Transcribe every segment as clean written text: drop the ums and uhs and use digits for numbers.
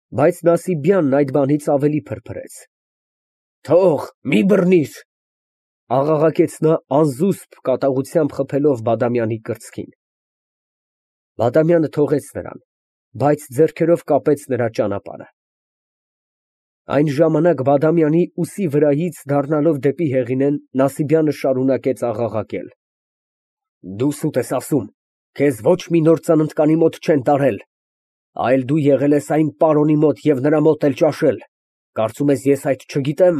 Բայց Նասիբյանն այդ բանից ավելի փրփրեց։ Թող, մի բռնիր, աղաղակեց նա անզուսպ կատաղությամբ խփելով Բադամյանի կրծքին։ Բադամյանը թողեց նրան, բայց ձեռքերով կապեց նրա ճանապարհը։ Այն ժամանակ Բադամյանի ուսի վրայից դառնալով դեպի Հեղինեն, Նասիբյանը շարունակեց աղաղակել. Դու սուտ ես ասում, քեզ ոչ մի նոր ծննդկանի մոտ չեն տարել, այլ դու եղել ես այն պարոնի մոտ և նրա մոտ էլ ճաշել, կարծում ես ես այդ չգիտեմ։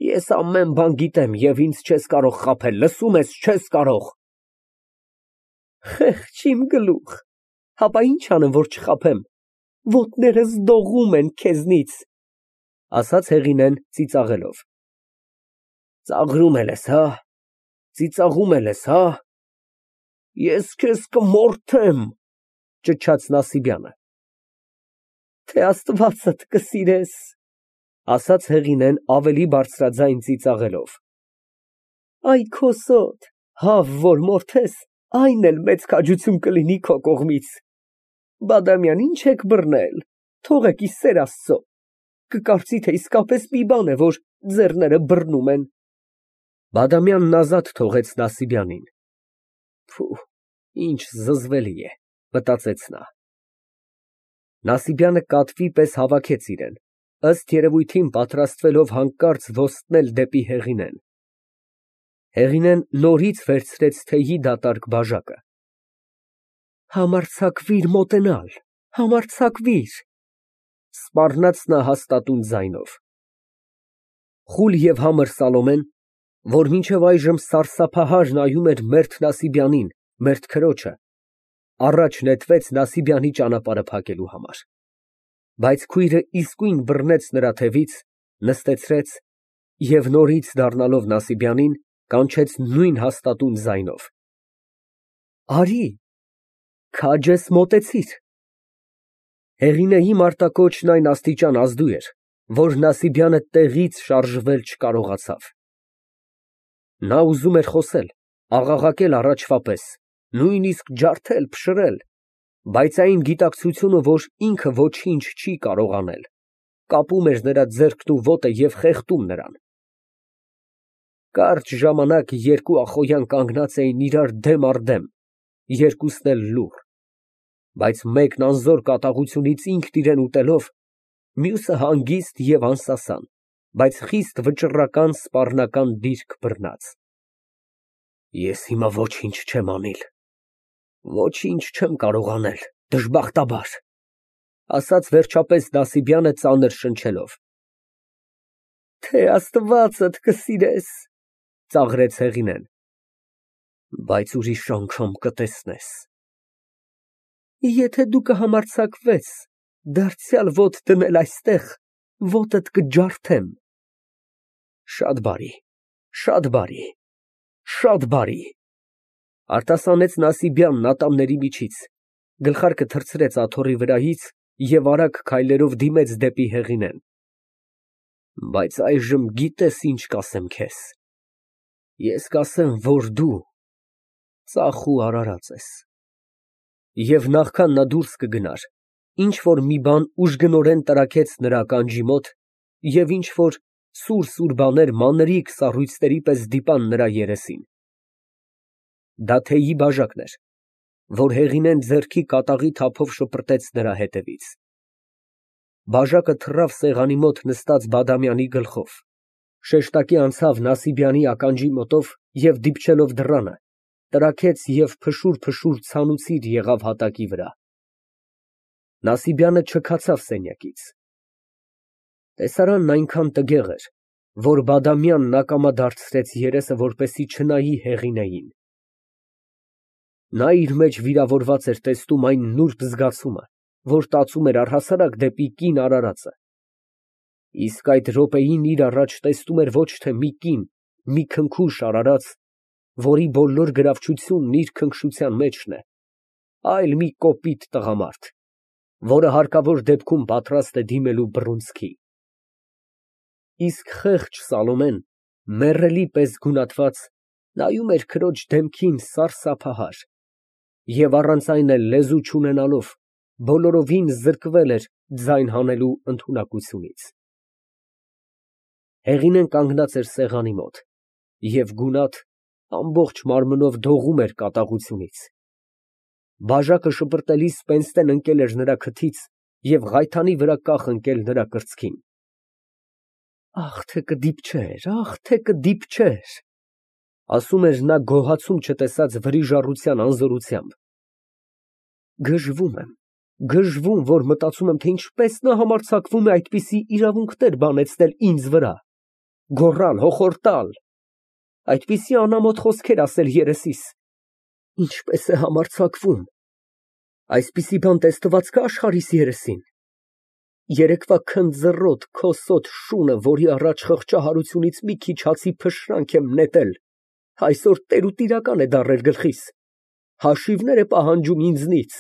Ես ամեն բան գիտեմ և ինձ չես կարող խաբել, լսում ես, չես կարող։ Խեղճ իմ գլուխ, հապա ինչ անեմ, որ չխաբեմ, ոտներս դողում են քեզնից, ասաց Հեղինեն ծիծաղելով։ Ծաղրում էլ ես, հա, ծիծաղում էլ ես, հա, ես քեզ կմորթեմ, ճչաց Նասիբյանը։ Թե Աստվածդ կսիրես, ասաց Հեղինեն ավելի բարձրաձայն ծիծաղելով։ Այ քո սոտ, հավ որ մորթես, այն էլ մեծ քաջություն կլինի քո կողմից։ Բադամյան, ինչ եք բռնել, թողեք ի սեր Աստծո, կկարծի, թե իսկապես մի բան է, որ ձեռները բռնում են։ Բադամյանն ազատ թողեց Նասիբյանին։ Փու, ինչ զզվելի է, մտածեց նա։ Նասիբյանը կատվի պես հավաքեց իրեն, ըստ երևույթին պատրաստվելով հանկարծ ոստնել դեպի Հեղինեն։ Հեղինեն նորից վերցրեց թեյի դատարկ բաժակը։ Համարձակվիր մոտենալ, համարձակվիր, սպառնաց նա հաստատուն ձայնով։ Խուլ և համր Սալոմեն, որ մինչև այժմ սարսափահար նայում էր մերթ Նասիբյանին, մերթ քրոջը, առաջ նետվեց Նասիբյանի ճանապարհը փակելու համար։ Բայց քույրը իսկույն բռնեց նրա թևից, նստեցրեց և նորից դառնալով Նասիբյանին, կանչեց նույն հաստատուն ձայնով. Արի, քաջ ես, մոտեցիր։ Հեղինեի մարտակոչն այն աստիճան ազդու էր, որ Նասիբյանը տեղից շարժվել չկարողացավ։ Նա ուզում էր խոսել, աղաղակել առաջվա պես, նույնիսկ ջարդել, փշրել, բայց այն գիտակցությունը, որ ինքը ոչինչ չի կարող անել, կապում էր նրա ձեռքն ու ոտը և խեղդում նրան։ Կարճ ժամանակ երկու ախոյան կանգնած էին իրար դեմ առ դեմ, երկուսն էլ լուռ, բայց մեկն անզոր կատաղությունից ինքն իրան ուտելով, մյուսը հանգիստ և անսասան, բայց խիստ վճռական սպառնական դիրք բռնած։ Ես հիմա ոչինչ չեմ անիլ, ոչինչ չեմ կարող անել, դժբախտաբար, ասաց վերջապես Նասիբյանը ծանր շնչելով։ Թե Աստվածդ կսիրես, ծաղրեց Հեղինեն, բայց ուրիշ անգամ կտեսնես։ Եթե դու կհամարձակվես դարձյալ ոտ դնել այստեղ, ոտդ կջարդեմ։ Շատ բարի, շատ բարի, շատ բարի, արտասանեց Նասիբյանն ատամների միջից, գլխարկը թռցրեց աթոռի վրայից և արագ քայլերով դիմեց դեպի Հեղինեն։ Բայց այժմ գիտես ինչ կասեմ քեզ։ Ես կասեմ, որ դու ծախ ու արարած ես։ Եվ նախքան նա դուրս կգնար, ինչ֊որ մի բան ուժգնորեն տրաքեց նրա ականջի մոտ և ինչ֊որ սուր բաներ մանրիկ սառույցների պես դիպան նրա երեսին։ Դա թեյի բաժակն էր, որ Հեղինեն ձեռքի կատաղի թափով շպրտեց նրա հետևից։ Բաժակը թռավ սեղանի մոտ նստած Բադամյանի գլխով, շեշտակի անցավ Նասիբյանի ականջի մոտով և դիպչելով դռանը, տրաքեց և փշուր ցանուցիր եղավ հատակի վրա։ Նասիբյանը չքացավ սենյակից։ Տեսարանն այնքան տգեղ էր, որ Բադամյանն ակամա դարձրեց երեսը, որպեսզի չնայի Հեղինեին։ Նա իր մեջ վիրավորված էր տեսնում այն նուրբ զգացումը, որ տածում էր առհասարակ դեպի կին արարածը։ Իսկ այդ րոպեին իր առաջ տեսնում էր ոչ թե մի կին, մի քնքուշ արարած, որի բոլոր գրավչությունն իր քնքշության մեջն է, այլ մի կոպիտ տղամարդ, որը հարկավոր դեպքում պատրաստ է դիմելու բռունցքի։ Իսկ խեղճ Սալոմեն, մեռելի պես գունատված, նայում էր քրոջ դեմքին սարսափահար և առանց այն էլ լեզու չունենալով, բոլորովին զրկվել էր ձայն հանելու ընդունակությունից։ Հեղինեն կանգնած էր սեղանի մոտ և գունատ ամբողջ մարմնով դողում էր կատաղությունից։ Բաժակը շպրտելիս Պենստեն ընկել էր նրա քթից և ղայթանի վրա կախ ընկել նրա կրծքին։ Ախ, թե կդիպչեր, ախ, թե կդիպչեր, ասում էր նա գոհացում չտեսած վրիժառության անզորությամբ։ Գժվում, որ մտածում եմ, թե ինչպես նա համարձակվում է այդպիսի իրավունքներ բանեցնել ինձ վրա, գոռալ, հոխորտալ, այդպիսի անամոթ խոսքեր ասել երեսիս, ինչպես է համարձակվում, այսպիսի բան տեսնված կա աշխարհիս երեսին։ Երեկվա քնձռոտ, քոսոտ շունը, որի առաջ խղճահարությունից մի քիչ հացի փշրանք եմ նետել, այսօր տերուտիրական է դառել գլխիս, հաշիվներ է պահանջում ինձնից,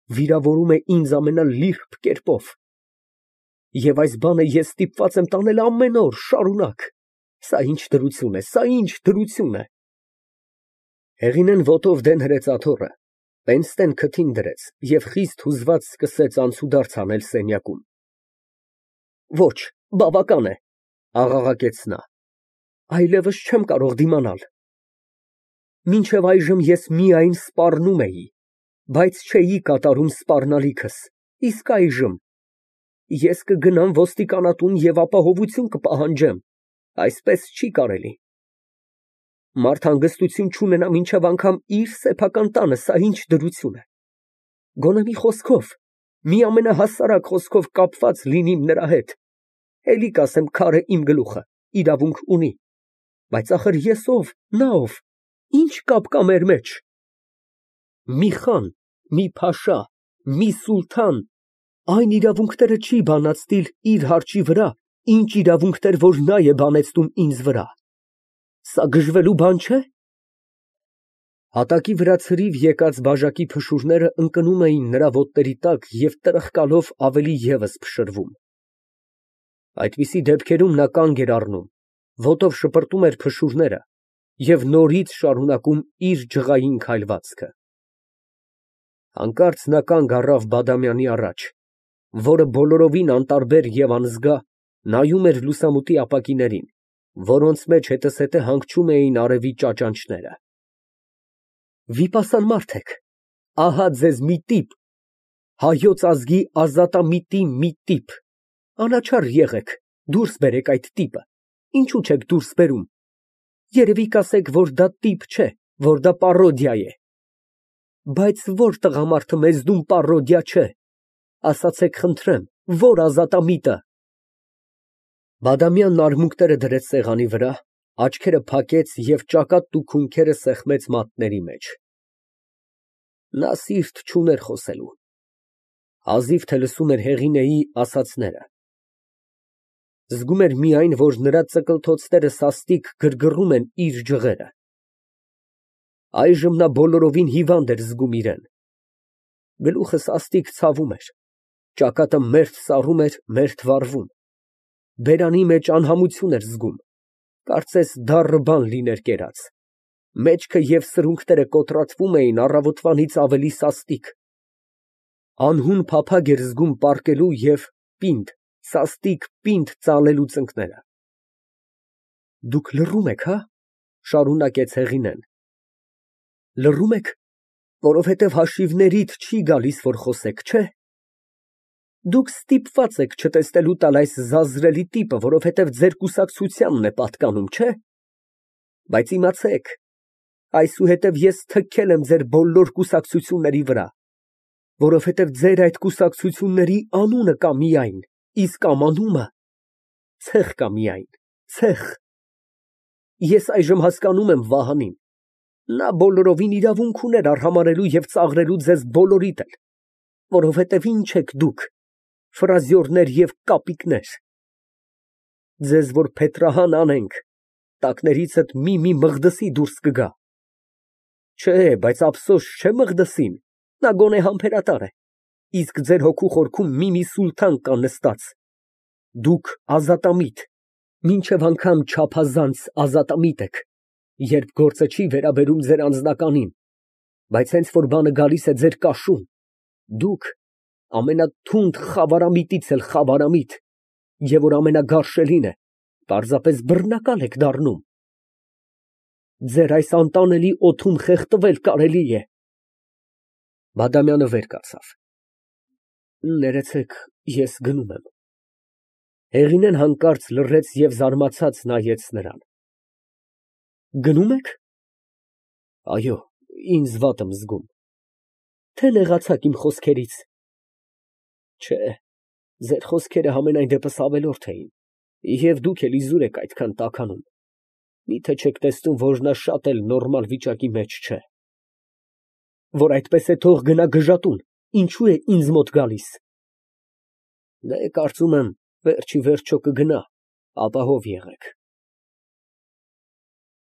վիրավորում է ինձ ամենալիրբ կերպով։ Եվ այս բանը ես ստիպված եմ տանել ամեն օր, շարունակ։ Սա ինչ դրություն է, սա ինչ դրություն է։ Հեղինեն ոտով դեն հրեց աթոռը, Պենստեն քթին դրեց և խիստ հուզված սկսեց անցուդարձ անել սենյակում։ Ոչ, բավական է, աղաղակեց նա, այլևս չեմ կարող դիմանալ։ Մինչև այժմ ես միայն սպառնում էի, բայց չէի կատարում սպառնալիքս, իսկ այժմ ես կգնամ ոստիկանատուն և ապահովություն կպահանջեմ, այսպես չի կարելի։ Մարդ հանգստություն չունենա մինչև անգամ իր սեփական տանը, սա ինչ դրություն է։ Գոնե մի խոսքով, մի ամենահասարակ խոսքով կապված լինիմ նրա հետ, էլի կասեմ քարը իմ գլուխը, իրավունք ունի, բայց ախր ես ով, նա ով, ինչ կապ կա մեր մեջ։ Մի խան, մի փաշա, մի սուլթան այն իրավունքները չի բանացնիլ իր հարճի վրա, ինչ իրավունքներ, որ նա է բանեցնում ինձ վրա։ Սա գժվելու բան չէ։ Հատակի վրա ցրիվ եկած բաժակի փշուրները ընկնում էին նրա ոտների տակ և տրխկալով ավելի ևս փշրվում։ Այդպիսի դեպքերում նա կանգ էր առնում, ոտով շպրտում էր փշուրները և նորից շարունակում իր ջղային քայլվածքը։ Հանկարծ նա կանգ առավ Բադամյանի առաջ, որը բոլորովին անտարբեր և անզգա նայում էր լուսամուտի ապակիներին, որոնց մեջ հետզհետե հանգչում էին արևի ճաճանճները։ Վիպասան մարդ եք, ահա ձեզ մի տիպ, հայոց ազգի ազատամիտի մի տիպ, անաչառ եղեք, դուրս բերեք այդ տիպը, ինչու չեք դուրս բերում, երևի կասեք, որ դա տիպ չէ, որ դա պարոդիա է, բայց որ տղամարդը մեզնում պարոդիա չէ, ասացեք խնդրեմ, որ ազատամիտը։ Բադամյանն արմունկները դրեց սեղանի վրա, աչքերը փակեց և ճակատն ու քունքերը սեղմեց մատների մեջ։ Նա սիրտ չուներ խոսելու, հազիվ թե լսում էր Հեղինեի ասածները։ Զգում էր միայն, որ նրա ծկլթոցները սաստիկ գրգռում են իր ջղերը։ Այժմ նա բոլորովին հիվանդ էր զգում իրեն։ Գլուխը սաստիկ ցավում էր, ճակատը մերթ սառում էր, մերթ վառվում, բերանի մեջ անհամություն էր զգում, կարծես դառը բան լիներ կերած, մեջքը և սրունքները կոտրատվում էին առավոտվանից ավելի սաստիկ, անհուն փափագ էր զգում պառկելու և պինդ, սաստիկ պինդ ծալելու ծնկները։ Դուք լռում եք, հա, շարունակեց Հեղինեն, լռում եք, որովհետև հաշիվներիդ չի գալիս, որ խոսեք, չէ։ Դուք ստիպված եք չտեսնելու տալ այս զազրելի տիպը, որովհետև ձեր կուսակցությանն է պատկանում, չէ։ Բայց իմացեք, այսուհետև ես թքել եմ ձեր բոլոր կուսակցությունների վրա, որովհետև ձեր այդ կուսակցությունների անունը կա միայն, իսկ ամանումը ցեխ կա միայն, ցեխ։ Ես այժմ հասկանում եմ Վահանին, նա բոլորովին իրավունք ուներ արհամարհելու և ծաղրելու ձեզ բոլորիդ էլ, որովհետև ինչ եք դուք, ֆրազյորներ և կապիկներ։ Ձեզ որ փետրահան անենք, տակներիցդ մի Մղդսի դուրս կգա։ Չէ, բայց ափսոս չէ Մղդսին, նա գոնե համբերատար է, իսկ ձեր հոգու խորքում մի սուլթան կա նստած։ Դուք ազատամիտ, մինչև անգամ չափազանց ազատամիտ եք, երբ գործը չի վերաբերում ձեր անձնականին, բայց հենց որ բանը գալիս է ձեր կաշուն, դուք ամենաթունդ խավարամիտից էլ խավարամիտ, և որ ամենագարշելին է, պարզապես բռնակալ եք դառնում։ Ձեր այս անտանելի օդում խեղդվել կարելի է։ Բադամյանը վեր կացավ։ Ներեցեք, ես գնում եմ։ Հեղինեն հանկարծ լռեց և զարմացած նայեց նրան։ Գնո՞ւմ եք։ Այո, ինձ վատ եմ զգում։ Թե նեղացաք իմ խոսքերից։ Չէ, ձեր խոսքերը համենայն դեպս ավելորդ էին, և դուք էլ իզուր եք այդքան տաքանում։ Մի՞թե չեք տեսնում, որ նա շատ էլ նորմալ վիճակի մեջ չէ։ Որ այդպես է, թող գնա գժատուն, ինչո՞ւ է ինձ մոտ գալիս։ Դե, կարծում եմ, վերջ ի վերջո կգնա, ապահով եղեք։